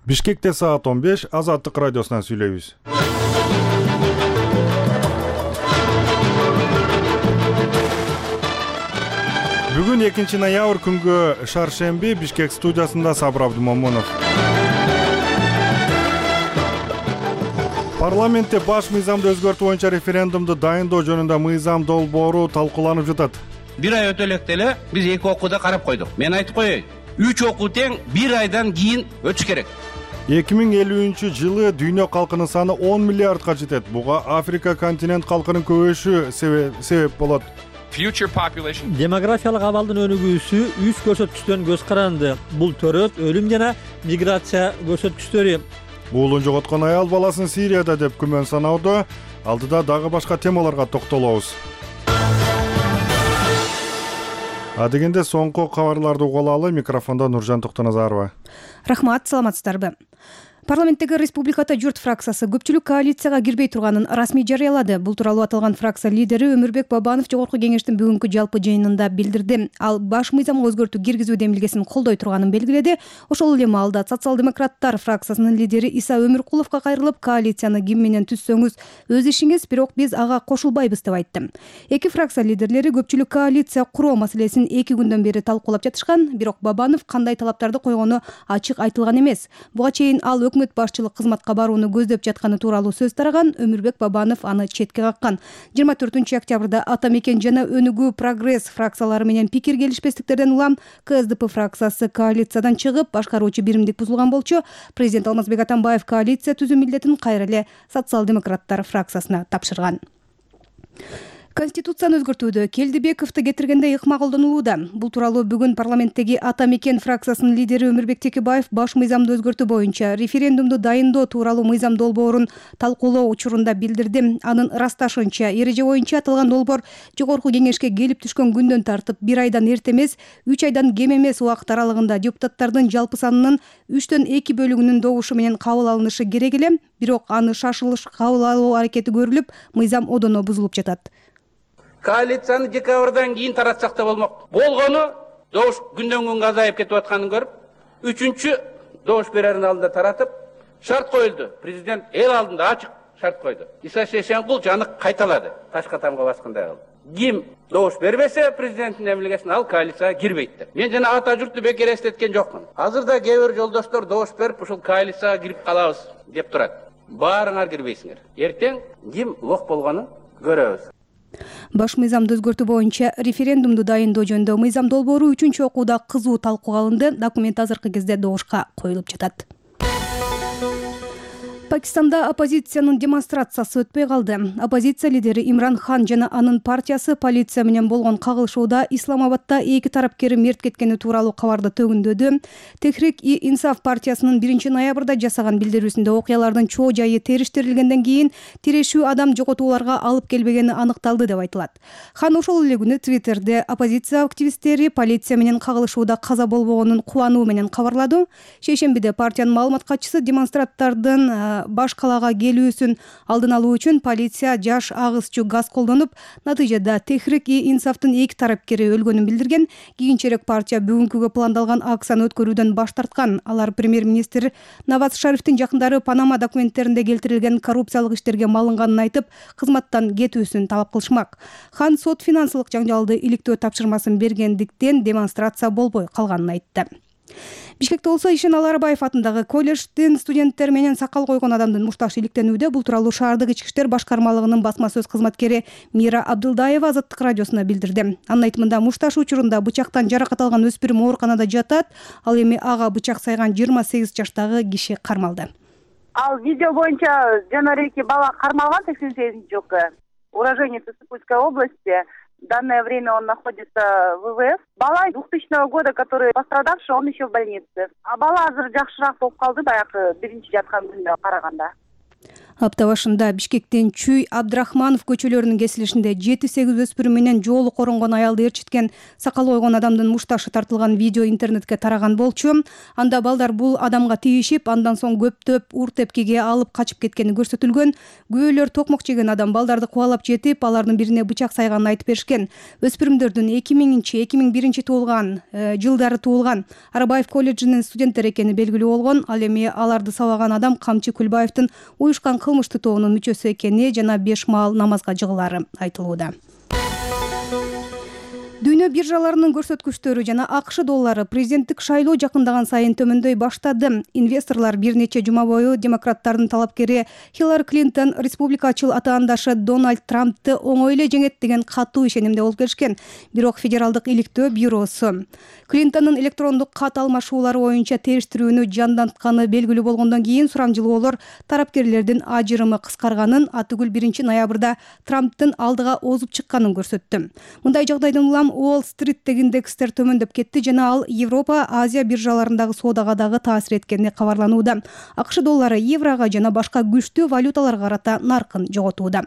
Бишкекте саат 15, Азаттык радиосунан сүйлөйбүз. Бүгүн 2-ноябрь күнгө шаршемби Бишкек студиясында Сабыр Абдумомунов. Парламентте баш мыйзамды өзгөртүү боюнча референдумду дайындоо жөнүндө мыйзам долбоору талкууланып жатат. Бир ай өтө электе эле биз 2 окууда карап койдук. Мен айтып коеюн, 3 окуу тең 1 айдан кийин өтүш керек. 2050-жылы дүйнө калкынын саны 10 миллиардка жетет. Буга Африка континент калкынын көбөйүшү себеп болот. Демографиялык абалдын өнүгүүсү үч көрсөткүчтөн көз каранды. Бул төрөт, өлүм жана миграция көрсөткүчтөрү. Уулун жоготкон аял баласын Сирияда деп күмөн саноодо. Алдыда дагы башка темаларга токтолобуз. Адегенде соңку кабарларды угуп алалы. Микрофондо Нуржан Токтоназарова. Рахмат, саламатсыздарбы? Парламенттеги Республиката журт фракциясы көпчүлүк коалицияга кирбей турганын расмий жарыялады. Бул тууралуу аталган фракция лидери Өмүрбек Бабанов Жогорку кеңештин бүгүнкү жалпы жыйынында билдирди. Ал баш мыйзамга өзгөртүү киргизүү демилгесин колдой турганын белгиледи. Ошол эле маалда социал-демократтар фракциясынын лидери Иса Өмүркуловго кайрылып, коалицияны ким менен түзсөңүз өз ишиңиз, бирок биз ага кошулбайбыз деп айтты. Эки фракция лидерлери көпчүлүк коалиция куруу маселесин 2 күндөн бери талкуулап жатышкан, бирок Бабанов кандай талаптарды койгону ачык айтылган эмес. Буга чейин ал өкмөт башчылык кызматка барууну көздөп жатканы тууралуу сөз тараган. Өмүрбек Бабанов аны четке каккан. 24-октябрда Ата мекен жана Өнүгүү Прогресс фракциялары менен пикир келишпестиктерден улам КСДП фракциясы коалициядан чыгып, башкаруучу биримдик бузулган болчу. Президент Алмазбек Атамбаев коалиция түзүү милдетин кайра эле социал-демократтар фракциясына тапшырган. Конституцияны өзгөртүүдө Келдибековду кетиргенде ыкма колдонулууда. Бул тууралуу бүгүн парламенттеги Ата мекен фракциясынын лидери Өмүрбек Текебаев баш мыйзамды өзгөртүү боюнча референдумду дайындоо тууралуу мыйзам долбоорун талкуулоо учурунда билдирди. Анын ырасташынча, эреже боюнча аталган долбоор Жогорку кеңешке келип түшкөн күндөн тартып 1 айдан эрте эмес, 3 айдан кем эмес убакыт аралыгында депутаттардын жалпы санынын 3төн 2 бөлүгүнүн добушу менен кабыл алынышы керек эле. Бирок аны шашылыш кабыл алуу аракети көрүлүп, мыйзам одоно бузулуп жатат. Коалицияны декабрдан кийин таратсак да болмок. Болгону добуш күндөн күнгө азайып кетип атканын көрүп, 3-чү добуш берердин алдында таратып, шарт коюлду. Президент эл алдында ачык шарт койду. Иса Шешенкул жаны кайталады. Ташка тамга баскандай кылды. Ким добуш бербесе президенттин эмилгесин ал коалицияга кирбейт деп. Мен жана ата журтту бекер эстеткен жокмун. Азырда кээ бир жолдоштор добуш берип, ушул коалицияга кирип калабыз деп турат. Баарыңар кирбейсиңер. Эртең ким лох болгонун көрөбүз. Баш мыйзамды өзгөртүү боюнча референдумду дайындоо жөнүндө мыйзам долбоору 3-чү окууда кызуу талкууга алынды. Документ азыркы кезде добушка коюлуп жатат. Пакистанда оппозициянын демонстрациясы өтпөй калды. Оппозиция лидери Имран Хан жана анын партиясы полиция менен болгон кагылышууда Исламабадда 2 тарапкери мерт кеткени тууралуу кабарды төгүндөдү. Техрик-и-Инсаф партиясынын 1-ноябрда жасаган билдирүүсүндө окуялардын чоо жайы териштирилгенден кийин тирешүү адам жоготууларга алып келбегени аныкталды деп айтылат. Хан ошол эле күнү Твиттерде оппозиция активисттери полиция менен кагылышууда каза болбогонун кубануу менен кабарлады. Шейшембиде партиянын маалымат катчысы демонстранттардын баш калаага келүүсүн алдын алуу үчүн полиция жаш агызчу газ колдонуп, натыйжада Техрик-и-Инсафтын 2 тарапкери өлгөнүн билдирген. Кийинчерээк партия бүгүнкүгө пландалган акцияны өткөрүүдөн баш тарткан. Алар премьер-министр Наваз Шарифтин жакындары Панама документтеринде келтирилген коррупциялык иштерге малынганын айтып, кызматтан кетүүсүн талап кылышмак. Хан сот финансылык жаңжалды иликтөө тапшырмасын бергендиктен демонстрация болбой калганын айтты. Бишкекте болсо Ишен Аларбаев атындагы колледждин студенттер менен сакал койгон адамдын мушташ иликтенүүдө. Бул тууралуу шаардык ички иштер башкармалыгынын басма сөз кызматкери Мира Абдылдаева Азаттык радиосуна билдирди. Анын айтымында мушташ учурунда бычактан жаракат алган өспүрүм ооруканада жатат. Ал эми ага бычак сайган 28 жаштагы киши кармалды. Ал видео боюнча жанареки бала кармалган 88-жылкы уроженец Сыктывкарской области. В данное время он находится в ВВС. Бала 2000 года, который пострадавший, он еще в больнице. А бала азыр жакшыраак болуп калды, баягы биринчи жаткан күнүнө караганда. Апта башында Бишкектин Чүй Абдрахманов көчөлөрүнүн кесилишинде 7-8 өспүрүм менен жолу коронгон аялды ээрчиткен сакалы койгон адамдын мушташы тартылган видео интернетке тараган болчу. Анда балдар бул адамга тийишип, андан соң көптөп ур тепкиге алып качып кеткени көрсөтүлгөн. Күбөлөр токмок жеген адам балдарды кубалап жетип, алардын бирине бычак сайганын айтып беришкен. Өспүрүмдөрдүн 2000-2001 жылдары туулган Арабаев колледжинин студенттери экени белгилүү болгон. Ал эми аларды сабаган адам Камчы Күлбаевдин уюшкан кылмыштуу тобунун мүчөсү экени жана 5 маал намазга жыгылары айтылууда. Дүйнө биржаларынын көрсөткүчтөрү жана АКШ доллары президенттик шайлоо жакындаган сайын төмөндөй баштады. Инвесторлор бир нече жума бою демократтардын талапкери Хиллари Клинтон республикачыл атаандашы Дональд Трампты оңой эле жеңет деген катуу ишенимде болуп келишкен. Бирок Федералдык иликтөө бюросу Клинтондун электрондук кат алмашуулары боюнча териштирүүнү жандантканы белгилүү болгондон кийин сурамжылоолор тарапкерлердин ажырымы кыскарганын, атүгүл 1-ноябрда Трамптын алдыга озуп чыкканын көрсөттү. Мындай жагдайдан улам Уолл-стриттеги индекстер төмөндөп кетти жана ал Европа, Азия биржаларындагы соодага дагы таасир эткени кабарланууда. АКШ доллары еврого жана башка күчтүү валюталарга карата наркын жоготууда.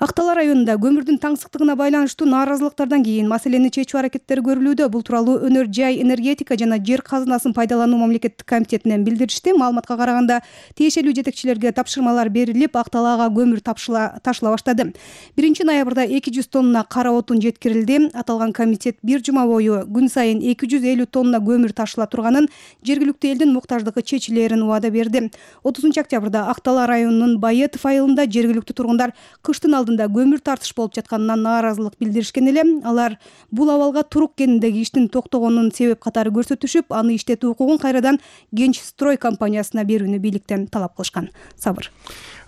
Актала районунда көмүрдүн таңсыктыгына байланыштуу нааразылыктардан кийин маселени чечүү аракеттери көрүлүүдө. Бул тууралуу Өнөр жай энергетика жана жер казынасын пайдалануу мамлекеттик комитетинен билдиришти. Маалыматка караганда, тиешелүү жетекчилерге тапшырмалар берилип, Акталаага көмүр ташыла баштады. 1-ноябрда 200 тонна кара отун жеткирилди. Аталган комитет бир жума бою күн сайын 250 тонна көмүр ташыла турганын, жергиликтүү элдин муктаждыгы чечилерин убада берди. 30-октябрда Актала районунун Байетов айылында жергиликтүү тургундар кыштын алдында көмүр тартыш болуп жатканынан нааразылык билдиришкен эле. Алар бул абалга турук кениндеги иштин токтогонун себеп катары көрсөтүшүп, аны иштетүү укугун кайрадан Genç Stroy компаниясына берүүнү бийликтен талап кылышкан. Сабыр.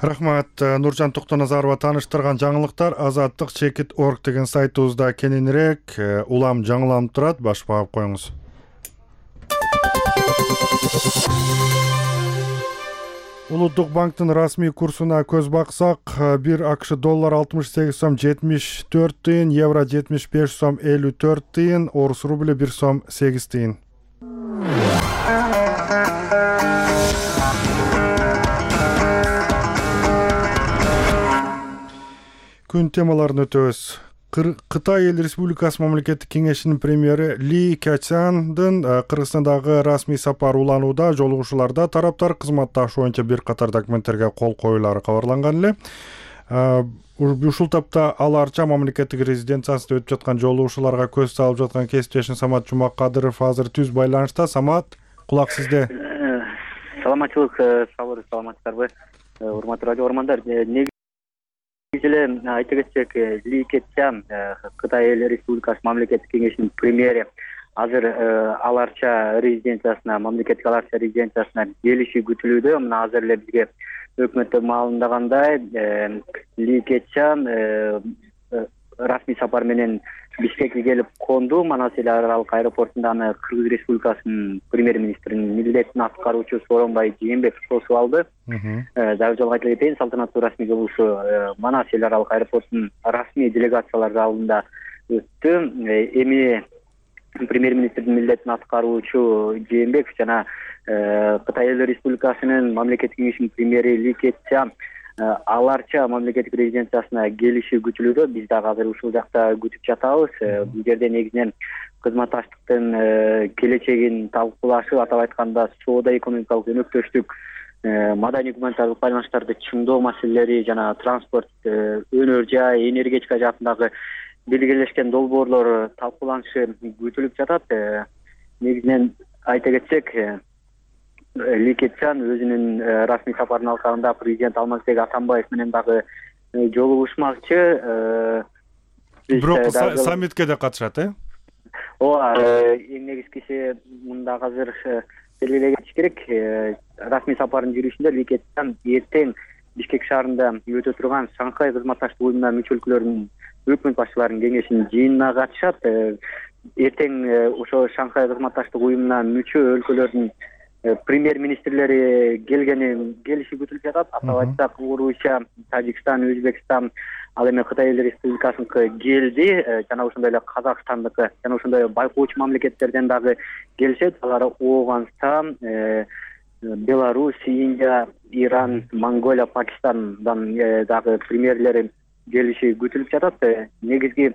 Рахмат. Нуржан Токтоназарова тааныштырган жаңылыктар Азаттык Чекит.org деген сайтыбызда кененирээк улам жаңыланып турат. Баш багып коюңуз. Улуттук банктын расмий курсуна көз баксак, 1 АКШ доллар 68 сом 74 тыйын, евро 75 сом 54 тыйын, орус рубль 1 сом 8 тыйын. Күн темаларын өтөбүз. Кытай Эл Республикасы мамлекеттик кеңешинин премьери Ли Кячандын Кыргызстандагы расмий сапары уланууда. Жолугушууларда тараптар кызматташуу боюнча бир катар документтерге кол коюлары кабарланган эле. Ушул тапта аларча мамлекеттик резиденциясында өтүп жаткан жолугушууларга көз салып жаткан кесиптешим Самат Жумакадыров азыр түз байланышта. Самат, кулак сизде. Саламатчылык, саламатсыздарбы, урматтуу радио угармандар. Айта кетсек, Ли Кячан, Кытай Эл Республикасы мамлекеттик кеңешинин премьери, азыр аларча резиденциясына, мамлекеттик аларча резиденциясына келиши күтүлүүдө. Мына азыр эле бизге өкмөттө маалымдагандай, Ли Кячан расмий сапар менен Бишкекке келип конду. Манас эл аралык аэропортунда аны Кыргыз Республикасынын премьер-министринин милдетин аткаруучу Сооронбай Жээнбеков тосуп алды. Дагы жолго айта кетейин, салтанаттуу расмий жолугушуу Манас эл аралык аэропортунун расмий делегациялар залында өттү. Эми премьер-министрдин милдетин аткаруучу Жээнбеков жана Кытай Эл Республикасынын мамлекеттик кеңешинин премьери Ли Кячан аларча мамлекеттик резиденциясына келиши күтүлүүдө. Биз дагы азыр ушул жакта күтүп жатабыз. Бул жерде негизинен кызматташтыктын келечегин талкуулашып, атап айтканда соода-экономикалык өнөктөштүк, маданий гуманитардык байланыштарды чыңдоо маселелери жана транспорт, өнөр жай, энергетика жаатындагы белгилешкен долбоорлор талкууланышы күтүлүп жатат. Негизинен айта кетсек, Ли Кячан өзүнүн расмий сапарынын алкагында президент Алмазбек Атамбаев менен дагы жолугушмакчы. Бирок саммитке да катышат, Ооба, эң негизгиси мында азыр белгилей кетиш керек. Расмий сапардын жүрүшүндө Ли Кячан эртең Бишкек шаарында өтө турган Шанхай кызматташтык уюмуна мүчө өлкөлөрдүн өкмөт башчыларынын кеңешинин жыйынына катышат. Эртең ошо Шанхай кызматташтык уюмуна мүчө өлкөлөрдүн премьер-министрлери келиши күтүлүп жатат. Атап айтсак, Орусия, Тажикстан, Өзбекстан, ал эми Кытай Эл Республикасыныкы келди, жана ошондой эле Казакстандыкы, жана ошондой байкоочу мамлекеттерден дагы келишет. Алар Ооганстан, Беларусь, Индия, Иран, Монголия, Пакистандан дагы премьерлери келиши күтүлүп жатат. Негизги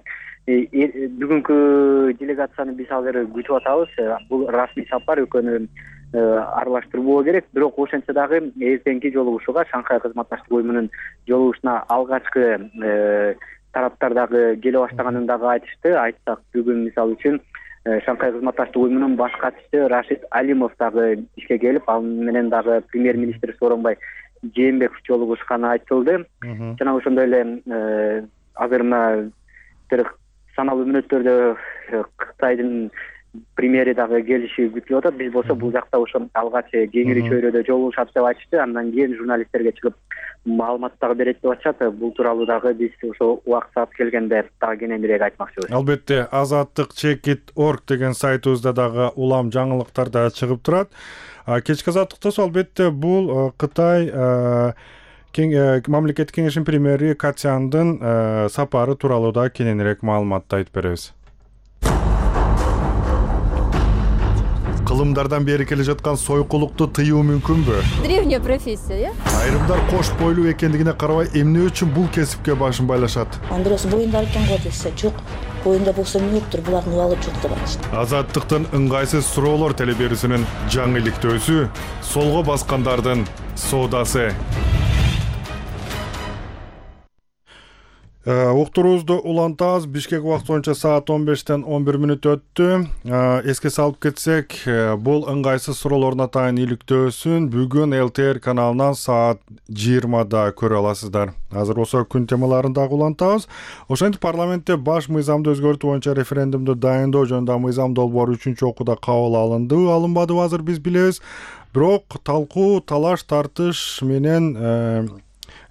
бүгүнкү делегацияны биз азыр күтүп атабыз. Бул расмий сапар экөөнү аралаштырбоо керек. Бирок ошентсе дагы эртеңки жолугушууга, Шанхай кызматташтык уюмунун жолугушуна алгачкы тараптар дагы келе баштаганын дагы айтышты. Айтсак, бүгүн мисалы үчүн Шанхай кызматташтык уюмунун баш катчысы Рашид Алимов дагы ишке келип, ал менен дагы премьер-министр Сооронбай Жээнбеков жолугушканы айтылды. Жана ошондой эле азыр мына саналуу мүнөттөрдө Кытайдын премьери дагы келиши күтүлүп атат. Биз болсо бул жакта ошо алгач кеңири чөйрөдө жолугушат деп айтышты. Андан кийин журналисттерге чыгып маалымат дагы берет деп атышат. Бул тууралуу дагы биз ошо убакыт саат келгенде дагы кененирээк айтмакчыбыз. Албетте, azattik.org деген сайтыбызда дагы улам жаңылыктар да чыгып турат. Кечки азаттыкта албетте бул Кытай мамлекеттик кеңешинин премьери Катяндын сапары тууралуу да кененирээк маалыматты айтып беребиз. Кылымдардан бери келе жаткан сойкулукту тыюу мүмкүнбү? Древняя профессия, Айрымдар кош бойлуу экендигине карабай, эмне үчүн бул кесипке башын байлашат? Андрос боюнда экен го десе, жок. Боюнда болсо эмне болуптур, булардын убалы жок деп айтышты. Азаттыктын ыңгайсыз суроолор телеберүүсүнүн жаңы иликтөөсү, солго баскандардын соодасы. Уктуруубузду улантабыз. Бишкек убакыты боюнча саат 15-тен 11 өттү. Эске салып кетсек, бул ыңгайсыз суроолордун атайын иликтөөсүн бүгүн ЛТР каналынан саат 20-да көрө аласыздар. Азыр осо күн темаларын дагы улантабыз. Ошентип парламентте баш мыйзамды өзгөртүү боюнча референдумду дайындоо жөнүндө мыйзам долбоору 3-окууда кабыл алынды, алынбадыбы азыр биз билебиз. Бирок талкуу, талаш, тартыш менен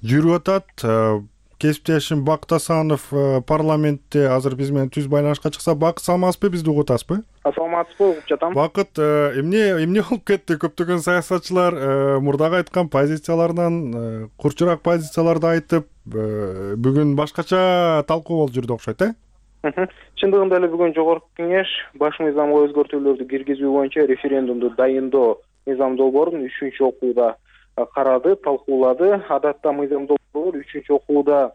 жүрүп атат. Кесиптешим Бактасанов парламентте азыр биз менен түз байланышка чыкса. Бакыт, саламатсызбы, бизди угуп атасызбы? Саламатсызбы, угуп жатам. Бакыт, эмне болуп кетти? Көптөгөн саясатчылар мурдагы айткан позицияларынан курчураак позицияларды айтып, бүгүн башкача талкуу болуп жүрдү окшойт, Чындыгында эле бүгүн жогорку кеңеш баш мыйзамга өзгөртүүлөрдү киргизүү боюнча референдумду дайындоо мыйзам долбоорун 3-окууда карады, талкуулады. Адатта мыйзам долбоор 3-окууда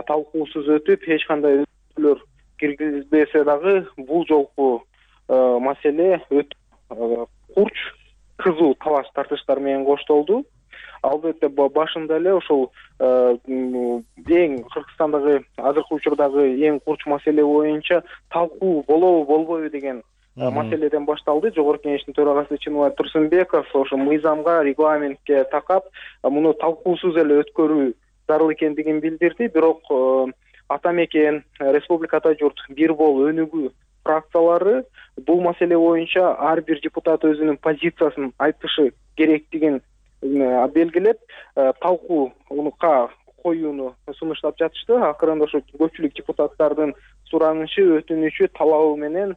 талкуусуз өтүп, эч кандай өзгөртүүлөр киргизилбесе дагы бул жолку маселе өтө курч, кызуу талаш тартыштар менен коштолду. Албетте башында эле ошол эң Кыргызстандагы азыркы учурдагы эң курч маселе боюнча талкуу болобу болбойбу деген маселеден башталды. Жогорку кеңештин төрагасы Чыныбай Турсунбеков ошо мыйзамга, регламентке такап, муну талкуусуз эле өткөрүү зарыл экендигин билдирди. Бирок ата мекен, Республика Ата журт, Бир бол өнүгүү фракциялары бул маселе боюнча ар бир депутат өзүнүн позициясын айтышы керектигин белгилеп, талкууга коюуну сунуштап жатышты. Акырында ошо көпчүлүк депутаттардын суранычы, өтүнүчү, талабы менен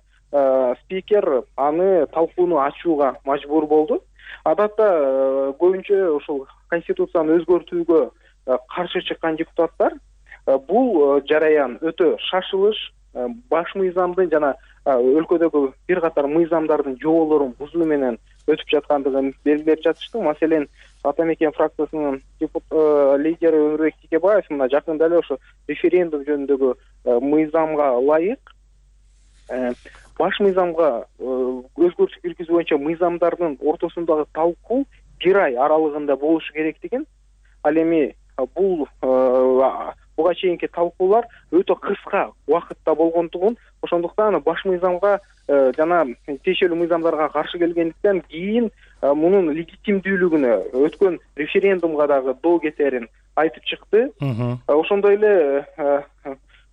спикер аны талкууну ачууга мажбур болду. Адатта көбүнчө ошол конституцияны өзгөртүүгө каршы чыккан депутаттар бул жараян өтө шашылыш, баш мыйзамдын жана өлкөдөгү бир катар мыйзамдардын жоболорун бузуу менен өтүп жаткандыгын белгилеп жатышты. Маселен, Ата мекен фракциясынын лидери Өмүрбек Текебаев мына жакында эле ошо референдум жөнүндөгү мыйзамга ылайык баш мыйзамга өзгөртүү киргизүү боюнча мыйзамдардын ортосундагы талкуу 1 ай аралыгында болушу керектигин, ал эми буга чейинки талкуулар өтө кыска убакытта болгондугун, ошондуктан баш мыйзамга жана тиешелүү мыйзамдарга каршы келгендиктен кийин мунун легитимдүүлүгүнө өткөн референдумга дагы доо кетерин айтып чыкты. Ошондой эле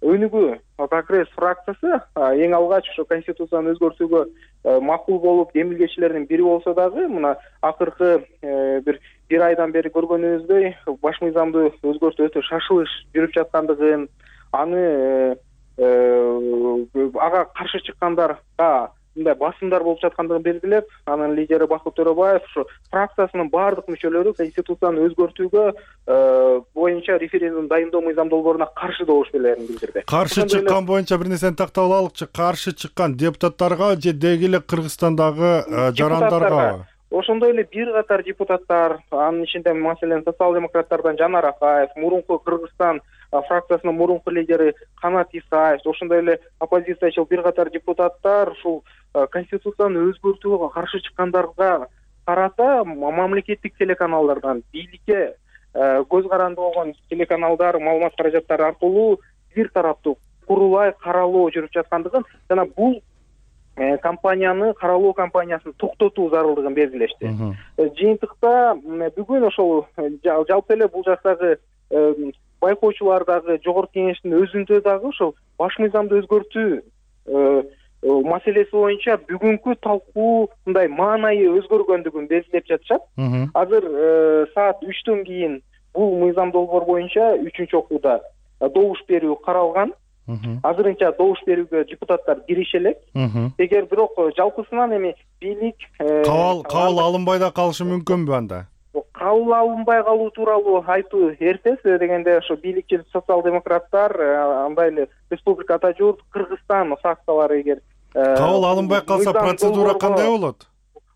өнүгүү Прогресс фракциясы эң алгач ошо конституцияны өзгөртүүгө макул болуп демилгечилердин бири болсо дагы, мына акыркы бир айдан бери көргөнүбүздөй баш мыйзамды өзгөртүү өтө шашылыш жүрүп жаткандыгын, аны ага каршы чыккандарга мындай басымдар болуп жаткандыгын белгилеп, анын лидери Бакыт Төрөбаев ошо фракциясынын баардык мүчөлөрү конституцияны өзгөртүүгө боюнча референдум дайындоо мыйзам долбооруна каршы добуш берерин билдирди. Каршы чыккан боюнча бир нерсени тактап алалычы. Каршы чыккан депутаттарга же деги эле Кыргызстандагы жарандарга? ошондой эле бир катар депутаттар, анын ичинде маселен социал-демократтардан Жанар Акаев, мурунку Кыргызстан фракциясынын мурунку лидери Канат Исаев, ошондой эле оппозициячыл бир катар депутаттар ушул конституцияны өзгөртүүгө каршы чыккандарга карата мамлекеттик телеканалдардан бийликке көз каранды болгон телеканалдар маалымат каражаттары аркылуу бир тараптуу курулай каралоо жүрүп жаткандыгын жана бул компанияны каралоо кампаниясын токтотуу зарылдыгын белгилешти. Жыйынтыкта бүгүн ошол жалпы эле бул жактагы байкоочулар дагы жогорку кеңештин өзүндө дагы ошол баш мыйзамды өзгөртүү маселеси боюнча бүгүнкү талкуу мындай маанайы өзгөргөндүгүн белгилеп жатышат. Азыр саат 3төн кийин бул мыйзам долбоор боюнча 3-чү окууда добуш берүү каралган. Азырынча добуш берүүгө депутаттар кириши элек. Эгер бирок жалпысынан эми бийлик кабыл алынбай да калышы мүмкүнбү анда? Кабыл алынбай калуу тууралуу айтуу эрте, дегенде ошо бийликчил социал-демократтар андай эле республикада журт Кыргызстан фракциялары эгер кабыл алынбай калса процедура кандай болот?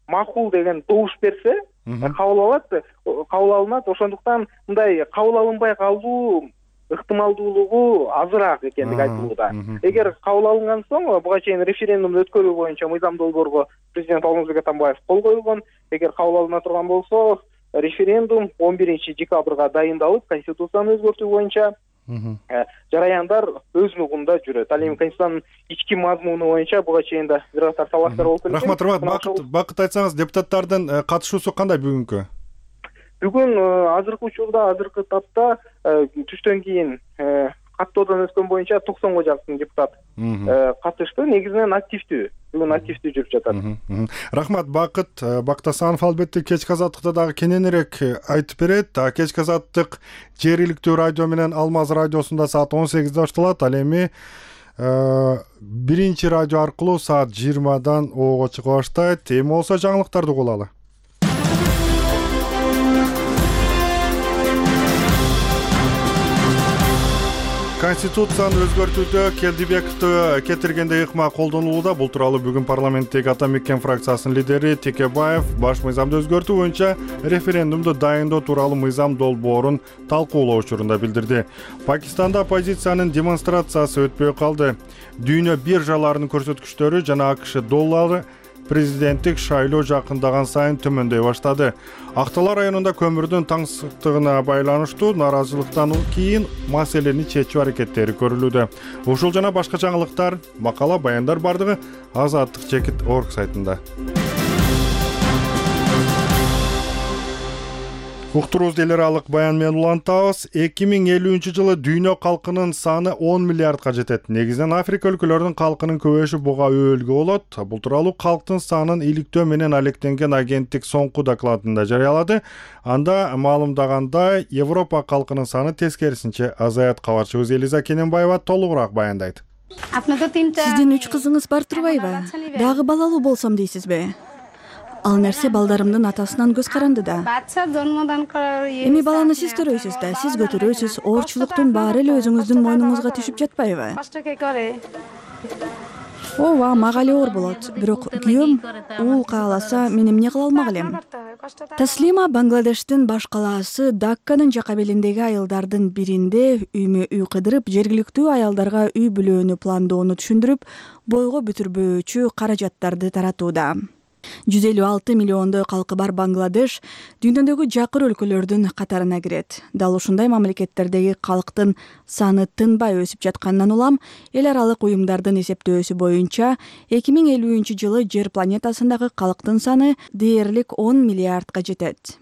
Макул деген добуш берсе, кабыл алынат. Ошондуктан мындай кабыл алынбай калуу ыктымалдуулугу азыраак экендиги айтылууда. Эгер кабыл алынган соң буга чейин референдумду өткөрүү боюнча мыйзам долбоорго президент Алмазбек Атамбаев кол койгон. Эгер кабыл алына турган болсо, референдум 11-декабрга дайындалып, конституцияны өзгөртүү боюнча жараяндар өз нугунда жүрөт. Ал эми конституциянын ички мазмуну боюнча буга чейин да бир катар талаптар болуп келген. Рахмат, Бакыт айтсаңыз, депутаттардын катышуусу кандай бүгүнкү? Бүгүн азыркы учурда, азыркы тапта түштөн кийин каттоодон өткөн боюнча 90га жакын депутат катышты. Негизинен активдүү. Бүгүн активдүү жүрүп жатат. Рахмат, Бакыт Бактасанов албетте кечки азаттыкта дагы кененирээк айтып берет. Кечки азаттык жергиликтүү радио менен Алмаз радиосунда саат 18-де башталат. Ал эми биринчи радио аркылуу саат 20-дан ого чыга баштайт. Эми болсо жаңылыктарды угулалы. Конституцияны өзгөртүүдө Келдибековду кетиргенде ыкма колдонулууда. Бул тууралуу бүгүн парламенттеги Ата Мекен фракциясынын лидери Текебаев баш мыйзамды өзгөртүү боюнча референдумду дайындоо тууралуу мыйзам долбоорун талкуулоо учурунда билдирди. Пакистанда оппозициянын демонстрациясы өтпөй калды. Дүйнө биржаларынын көрсөткүчтөрү жана АКШ доллары президенттик шайлоо жакындаган сайын төмөндөй баштады. Актала районунда көмүрдүн таңсыктыгына байланыштуу нааразычылыктан кийин маселени чечүү аракеттери көрүлүүдө. Ушул жана башка жаңылыктар, макала, баяндар бардыгы Azadlyk.org сайтында. Уктуруубузду эл аралык баян менен улантабыз. 2050-жылы дүйнө калкынын саны 10 миллиардка жетет. Негизинен Африка өлкөлөрүнүн калкынын көбөйүшү буга өбөлгө болот. Бул тууралуу калктын санын иликтөө менен алектенген агенттик соңку докладында жарыялады. Анда маалымдагандай, Европа калкынын саны тескерисинче азаят. Кабарчыбыз Элиза Кененбаева толугураак баяндайт. Сиздин 3 кызыңыз бар турбайбы? Дагы балалуу болсом дейсизби? Ал нерсе балдарымдын атасынан көз каранды да. Эми баланы сиз төрөйсүз да, сиз көтөрөсүз, оорчулуктун баары эле өзүңүздүн мойнуңузга түшүп жатпайбы? Ооба, мага эле оор болот. Бирок күйөөм уул кааласа, мен эмне кыла алмак элем? Таслима Бангладештин баш калаасы Дакканын жака белиндеги айылдардын биринде үймө-үй кыдырып, жергиликтүү аялдарга үй бүлөөнү пландоону түшүндүрүп, бойго бүтүрбөөчү каражаттарды таратууда. 156 миллиондой калкы бар Бангладеш дүйнөдөгү жакыр өлкөлөрдүн катарына кирет. Дал ушундай мамлекеттердеги калктын саны тынбай өсүп жатканынан улам, эл аралык уюмдардын эсептөөсү боюнча 2050-жылы жер планетасындагы калктын саны дээрлик 10 миллиардка жетет.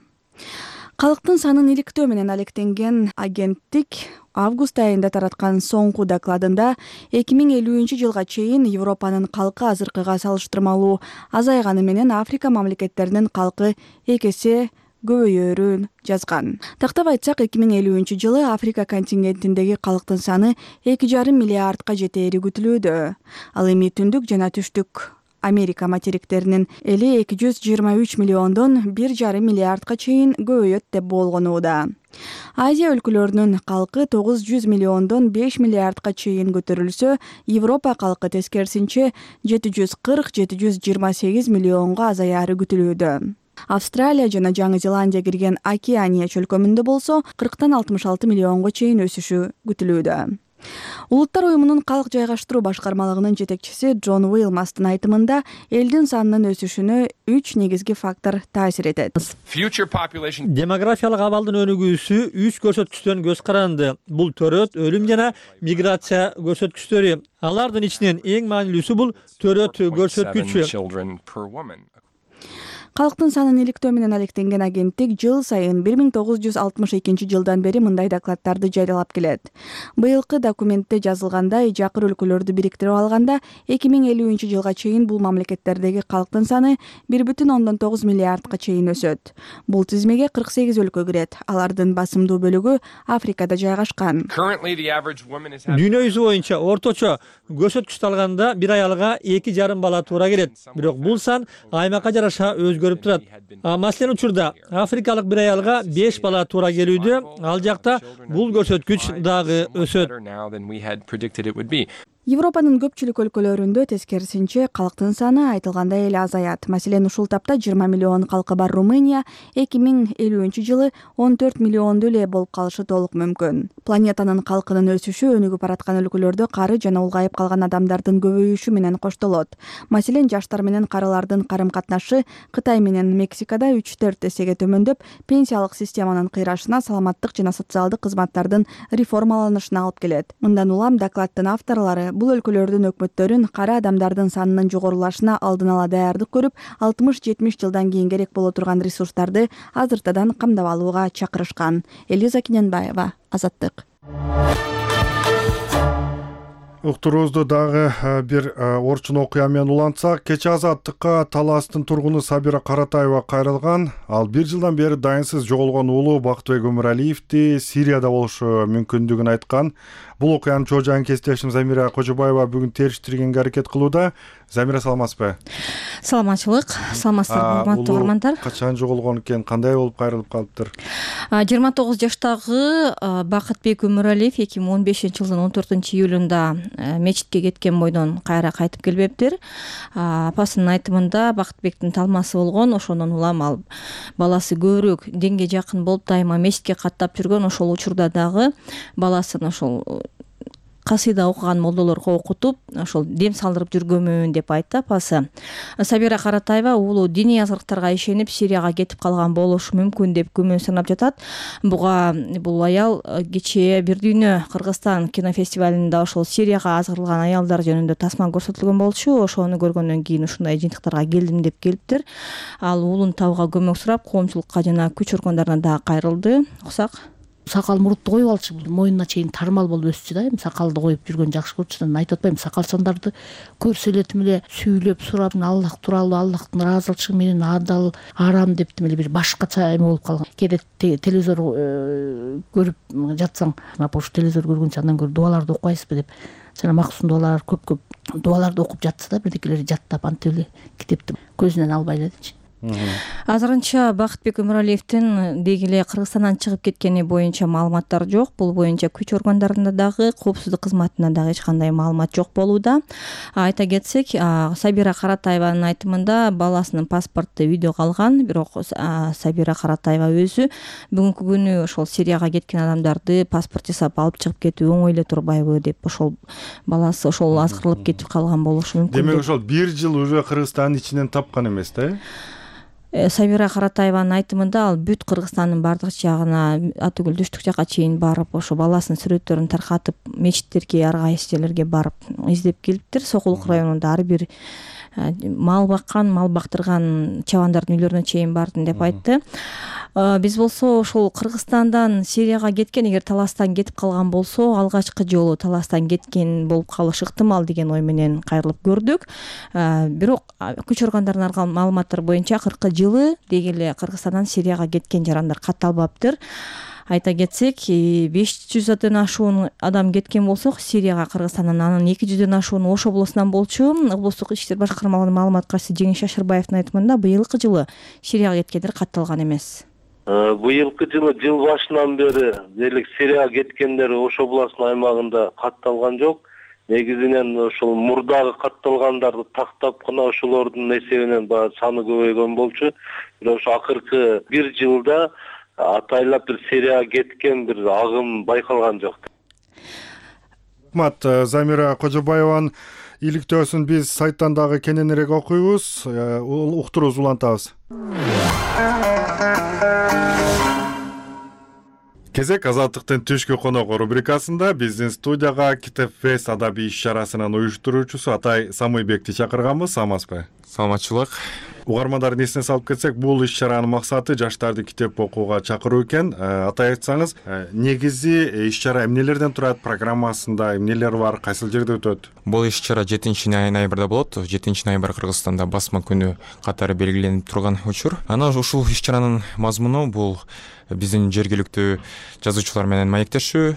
Калктын санын иликтөө менен алектенген агенттик август айында тараткан соңку докладында 2050-жылга чейин Европанын калкы азыркыга салыштырмалуу азайганы менен Африка мамлекеттеринин калкы 2 эсе көбөйөрүн жазган. Тактап айтсак, 2050-жылы Африка континентиндеги калктын саны 2,5 миллиардка жетери күтүлүүдө. Ал эми түндүк жана түштүк Америка материктеринин эли 223 миллиондон 1,5 миллиардка чейин көбөйөт деп болгонууда. Азия өлкөлөрүнүн калкы 900 миллиондон 5 миллиардка чейин көтөрүлсө, Европа калкы тескерисинче 740-728 миллионго азаяры күтүлүүдө. Австралия жана Жаңы Зеландия кирген Океания чөлкөмүндө болсо 40-66 миллионго чейин өсүшү күтүлүүдө. Улуттар уюмунун калк жайгаштыруу башкармалыгынын жетекчиси Джон Уилмастын айтымында элдин санынын өсүшүнө 3 негизги фактор таасир этет. Демографиялык абалдын өнүгүүсү 3 көрсөткүчтөн көз каранды. Бул төрөт, өлүм жана миграция көрсөткүчтөрү. Алардын ичинен эң маанилүүсү бул төрөт көрсөткүчү. Калктын санын иликтөө менен алектенген агенттик жыл сайын 1962 жылдан бери мындай докладдарды жарыялап келет. Быйылкы документте жазылгандай, жакыр өлкөлөрдү бириктирип алганда 2050 жылга чейин бул мамлекеттердеги калктын саны 1,9 миллиардга чейин өсөт. Бул тизмеге 48 өлкө кирет. Алардын басымдуу бөлүгү Африкада жайгашкан. Дүйнө жүзү боюнча орточо көрсөткүчтү алганда бир аялга 2,5 бала туура келет. Бирок бул сан аймакка жараша өзгөрүп турат. Маселен учурда африкалык бир аялга 5 бала туура келүүдө, ал жакта бул көрсөткүч дагы өсөт. Европанын көпчүлүк өлкөлөрүндө тескерисинче калктын саны айтылгандай эле азаят. Маселен, ушул тапта 20 миллион калкы бар Румыния 2050 жылы 14 миллионду эле болуп калышы толук мүмкүн. Планетанын калкынын өсүшү өнүгүп бараткан өлкөлөрдө кары жана улгайып калган адамдардын көбөйүшү менен коштолот. Маселен, жаштар менен карылардын карым-катнашы Кытай менен Мексикада 3-4 эсеге төмөндөп, пенсиялык системанын кыйрашына, саламаттык жана социалдык кызматтардын реформаланышына алып келет. Мындан улам докладдын авторлору бул өлкөлөрдүн өкмөттөрүн кара адамдардын санынын жогорулашына алдын ала даярдык көрүп, 60-70 жылдан кийин керек боло турган ресурстарды азыртадан камдап алууга чакырышкан. Элиза Киненбаева, Азаттык. Уктуруубузду дагы бир орчун окуя менен улантсак, кечээ Азаттыкка Таластын тургуну Сабира Каратаева кайрылган. Ал 1 жылдан бери дайынсыз жоголгон уулу Бактыбек Өмүралиевди Сирияда болушу мүмкүндүгүн айткан. Бул окуянын чоо жайын кесиптешим Замира Кожобаева бүгүн териштиргенге аракет кылууда. Замира, саламатсызбы? Саламатчылык. Саламатсыздарбы, урматтуу угармандар? Качан жоголгон экен, кандай болуп кайрылып калыптыр? 29 жаштагы Бактыбек Өмүралиев 2015 жылдын 14 июлунда мечитке кеткен бойдон кайра кайтып келбептир. Апасынын айтымында Бактыбектин талмасы болгон, ошондон улам ал баласы көбүрөөк динге жакын болуп, дайыма мечитке каттап жүргөн. Ошол учурда дагы баласын ошол касыйда окуган молдолорго окутуп, ошол дем салдырып жүргөмүн деп айтты апасы. Сабира Каратаева уулу диний азгырыктарга ишенип Сирияга кетип калган болушу мүмкүн деп күмөн санап жатат. Буга бул аял кечээ Бир дүйнө Кыргызстан кинофестивалында ошол Сирияга азгырылган аялдар жөнүндө тасма көрсөтүлгөн болчу. Ошону көргөндөн кийин ушундай жыйынтыктарга келдим деп келиптир. Ал уулун табууга көмөк сурап, коомчулукка жана күч органдарына дагы кайрылды. Окусак. Сакал мурутtu коюп алчу, моюнуна чейин тармал болуп өссүчү да. Эми сакалды коюп жүргөн жакшы көрчү. Айтып атпайм, сакалчандарды көрсө эле сүйлөп сурап, Аллах тууралуу, Аллахтын ыраазычылыгы менен адал, арам деп бир башкача эме болуп калган. Кээде телевизор көрүп жатсаң, ошо телевизор көргөнчө андан көрө дуаларды окуйсузбу деп, жана максум дуалар көп дуаларды окуп жатса да, бирдекелери жаттап антип эле китепти көзүнөн албай элечи. Азырынча Бактыбек Өмүралиевдин деги эле Кыргызстандан чыгып кеткени боюнча маалыматтар жок. Бул боюнча күч органдарында дагы, коопсуздук кызматында дагы эч кандай маалымат жок болууда. Айта кетсек, Сабира Каратаеванын айтымында баласынын паспорту видеого алган, бирок Сабира Каратаева өзү бүгүнкү күнү ошол Сирияга кеткен адамдарды паспорт жасап алып чыгып кетүү оңой эле турбайбы деп, ошол баласы ошол азгырылып кетип калган болушу мүмкүн. Демек ошол 1 жыл уже Кыргызстандын ичинен тапкан эмес да? Сабира Каратаеванын айтымында ал бүт Кыргызстандын бардык жагына, атүгүл түштүк жакка чейин барып, ошо баласынын сүрөттөрүн таркатып, мечиттерге, ар кайсы жерлерге барып издеп келиптир. Сокулук районунда ар бир мал баккан, мал бактырган чабандардын үйлөрүнө чейин бардым деп айтты. Биз болсо ошол Кыргызстандан Сирияга кеткен, эгер таластан кетип калган болсо, алгачкы жолу таластан кеткен болуп калышы ыктымал деген ой менен кайрылып көрдүк. Бирок күч органдарынын алган маалыматтары боюнча 40 жылы деги эле Кыргызстандан Сирияга кеткен жарандар катталбаптыр. Айта кетсек, 500-дөн ашуун адам кеткен болсок, Сирияга Кыргызстандан анын 200-дөн ашууну Ош облусунан болчу. Облустук ички иштер башкармалыгынын маалымат катчысы Жеңиш Шашырбаевдин айтымында быйылкы жылы Сирияга кеткендер катталган эмес. Быйылкы жылы жыл башынан бери дерлик Сирияга кеткендер Ош облусунун аймагында катталган жок. негизинен ошол мурдагы катталгандарды тактап гана ошолордун эсебинен баягы саны көбөйгөн болчу. Бирок ошо акыркы бир жылда атайлап бир серия кеткен бир агым байкалган жок. Рахмат. Замира Кожобаеванын иликтөөсүн биз сайттан дагы кененирээк окуйбуз, уктурубуз улантабыз. Кезек Азаттыктын түшкү конок рубрикасында биздин студияга Китеп Фест адабий иш-чарасынын уюштуруучусу Атай Самыйбекти чакырганбыз. Саламатсызбы? Саламатчылык. Угармандардын эсине салып кетсек, бул иш-чаранын максаты жаштарды китеп окууга чакыруу экен. Атай айтсаңыз, негизи иш-чара эмнелерден турат, программасында эмнелер бар, кайсыл жерде өтөт? Бул иш-чара 7-ноябрда болот. 7-ноябрь Кыргызстанда басма күнү катары белгиленип турган учур. Анан ушул иш-чаранын мазмуну бул биздин жергиликтүү жазуучулар менен маектешүү.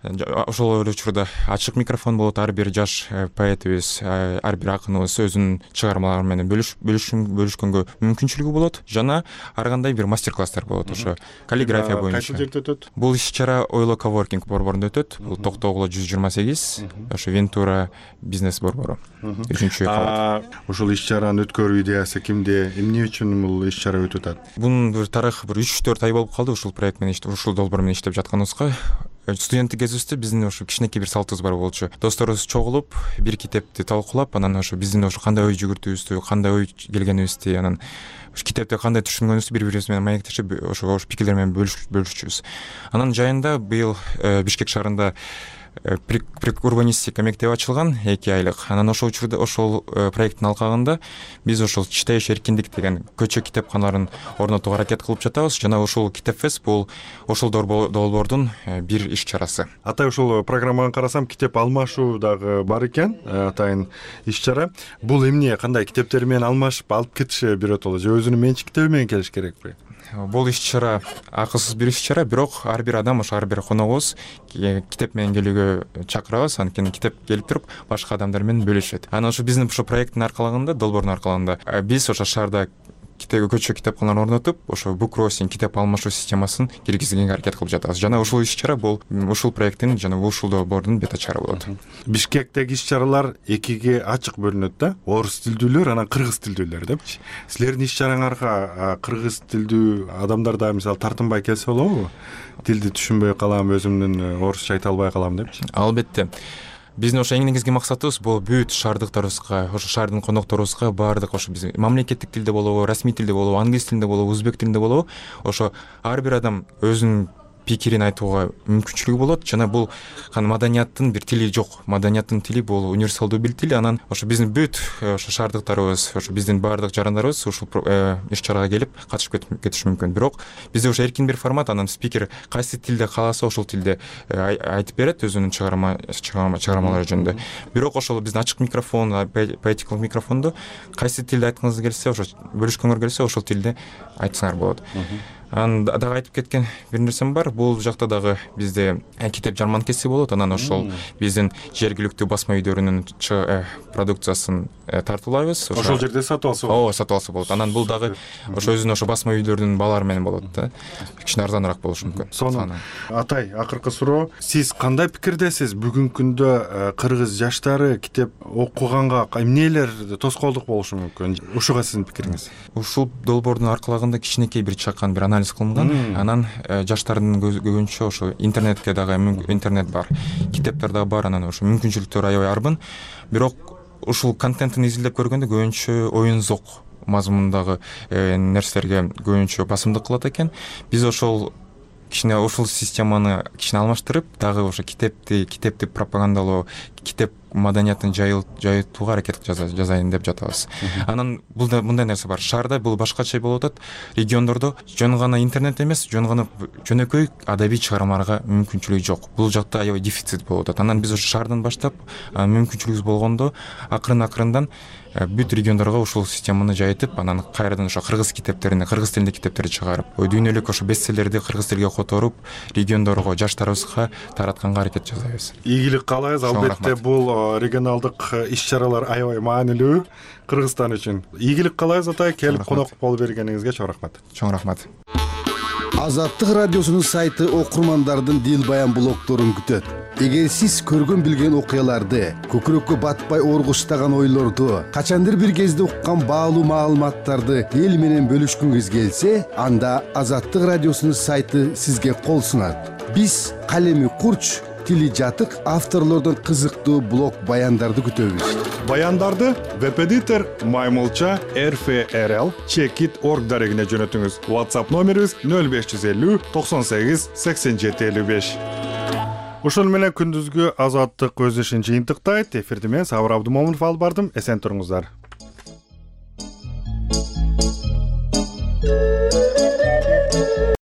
Ошол учурда ачык микрофон болот. Ар бир жаш поэтибиз, ар бир акыныбыз өзүнүн чыгармалары менен бөлүшкөнгө мүмкүнчүлүгү болот. Жана ар кандай бир мастер-класстар болот. Ошо каллиграфия боюнча. Кайсы жерде өтөт? Бул иш-чара Ойло Коворкинг борборунда өтөт. Бул Токтогуло 128, ошо Вентура бизнес борбору. 3-кабат. Ушул иш-чаранын өткөрүү идеясы кимде? Эмне үчүн бул иш-чара өтүп атат? Бунун бир тарыхы бир 3-4 ай болуп калды. Ушул проект менен ушул долбоор менен иштеп жатканыбызга. Студенттик кезибизде биздин ошо кичинекей бир салтыбыз бар болчу. Досторубуз чогулуп, бир китепти талкуулап, анан ошо биздин ошо кандай ой жүгүртүүбүздү, кандай ой келгенибизди, анан ошо китепти кандай түшүнгөнүбүздү бири-бирибиз менен маектешип, ошо пикирлер менен бөлүшчүбүз. Анан жайында быйыл Бишкек шаарында урбанистика мектеби ачылган 2 айлык. Анан ошол учурда ошол проекттин алкагында биз ошол читеш эркиндик деген көчө китепканаларын орнотууга аракет кылып жатабыз. Жана ошол Китеп Фест бул ошол долбоордун бир иш-чарасы. Атай, ушул программаны карасам, китеп алмашуу дагы бар экен. Атайын иш-чара. Бул эмне, кандай китептер менен алмашып алып кетиши биротоло же өзүнүн менчик китеби менен келиш керекпи? Бул иш-чара акысыз бир иш-чара, бирок ар бир адам, ошо ар бир коногубуз китеп менен келүүгө чакырабыз. Анткени китеп келип туруп башка адамдар менен бөлүшөт. Анан ошо биздин ошо проекттин аркалыгында, долбоордун аркалыгында биз ошо шаарда көчө китепканаларын орнотуп, ошо бук кроссинг, китеп алмашуу системасын киргизгенге аракет кылып жатабыз. Жана ушул иш-чара бул ушул проекттин жана ушул долбоордун бета чара болот. Бишкектеги иш-чаралар экиге ачык бөлүнөт да. Орус тилдүүлөр, анан кыргыз тилдүүлөр депчи. Силердин иш-чараңарга кыргыз тилдүү адамдар да мисалы тартынбай келсе болобу? Тилди түшүнбөй калам, өзүмдүн орусча айта албай калам депчи. Албетте. Биздин ошо эң негизги максатыбыз бул бүт шаардыктарыбызга, ошо шаардын конокторубузга баардык ошо биздин мамлекеттик тилде болобу, расмий тилде болобу, англис тилинде болобу, өзбек тилинде болобу, ошо ар бир адам өзүнүн пикирин айтууга мүмкүнчүлүгү болот. Жана бул маданияттын бир тили жок. Маданияттын тили бул универсалдуу бир тил. Анан ошо биздин бүт ошо шаардыктарыбыз, ошо биздин баардык жарандарыбыз ушул иш-чарага келип катышып кетиши мүмкүн. Бирок бизде ошо эркин бир формат, анан спикер кайсы тилде кааласа ошол тилде айтып берет өзүнүн чыгармалары жөнүндө. Бирок ошол биздин ачык микрофон, поэтикалык микрофондо кайсы тилде айткыңыз келсе, ошо бөлүшкөңөр келсе, ошол тилде айтсаңар болот. Анан дагы айтып кеткен бир нерсем бар. Бул жакта дагы бизде китеп жарманкеси болот. Анан ошол биздин жергиликтүү басма үйдөрүнүн продукциясын тартуулайбыз. Ошол жерде сатып алса болот. Ооба, сатып алса болот. Анан бул дагы ошо өзүнүн ошо басма үйдөрдүн баалары менен болот да. Кичине арзаныраак болушу мүмкүн. Сонун. Атай, акыркы суроо. Сиз кандай пикирдесиз? Бүгүнкү күндө кыргыз жаштары китеп окуганга эмнелер тоскоолдук болушу мүмкүн? Ушуга сиздин пикириңиз? Ушул долбоордун аркалагында кичинекей бир чакан бир анализ кылынган. Анан жаштардын көбүнчө ошо интернетке дагы интернет бар, китептер дагы бар, анан ошо мүмкүнчүлүктөр аябай арбын. Бирок ушул контенттин изилдеп көргөндө көбүнчө оюн зок мазмунундагы нерселерге көбүнчө басымдык кылат экен. Биз ошол кичине ушул системаны кичине алмаштырып, дагы ошо китепти пропагандалоо, китеп маданиятын жайытууга аракет жасайын деп жатабыз. Анан мындай нерсе бар. Шаарда бул башкача болуп атат. Региондордо жөн гана интернет эмес, жөн гана жөнөкөй адабий чыгармаларга мүмкүнчүлүгү жок. Бул жакта аябай дефицит болуп атат. Анан биз ошо шаардан баштап мүмкүнчүлүгүбүз болгондо акырын-акырындан бүт региондорго ушул системаны жайытып, анан кайрадан ошо кыргыз китептерин, кыргыз тилинде китептерди чыгарып, дүйнөлүк ошо бестселлерди кыргыз тилге которуп, региондорго, жаштарыбызга таратканга аракет жасайбыз. Ийгилик каалайбыз. Албетте бул регионалдык иш-чаралар аябай маанилүү Кыргызстан үчүн. Ийгилик каалайбыз Атай, келип конок болуп бергениңизге чоң рахмат. Чоң рахмат. Азаттык радиосунун сайты окурмандардын дил баян блогдорун күтөт. эгер сиз көргөн билген окуяларды, көкүрөккө батпай оргуштаган ойлорду, качандыр бир кезде уккан баалуу маалыматтарды эл менен бөлүшкүңүз келсе, анда Азаттык радиосунун сайты сизге кол сунат. Биз калеми курч, тили жатык авторлордун кызыктуу блог баяндарды күтөбүз. Баяндарды веб-эдитор Маймылча rfrl.org дарегине жөнөтүңүз. WhatsApp номерибиз 0550 98 87 55. Ушун менен күндүзгү Азаттык өз ишин жыйынтыктайт. Эфирди мен Сабыр Абдымомунов алып бардым. Эсен туруңуздар.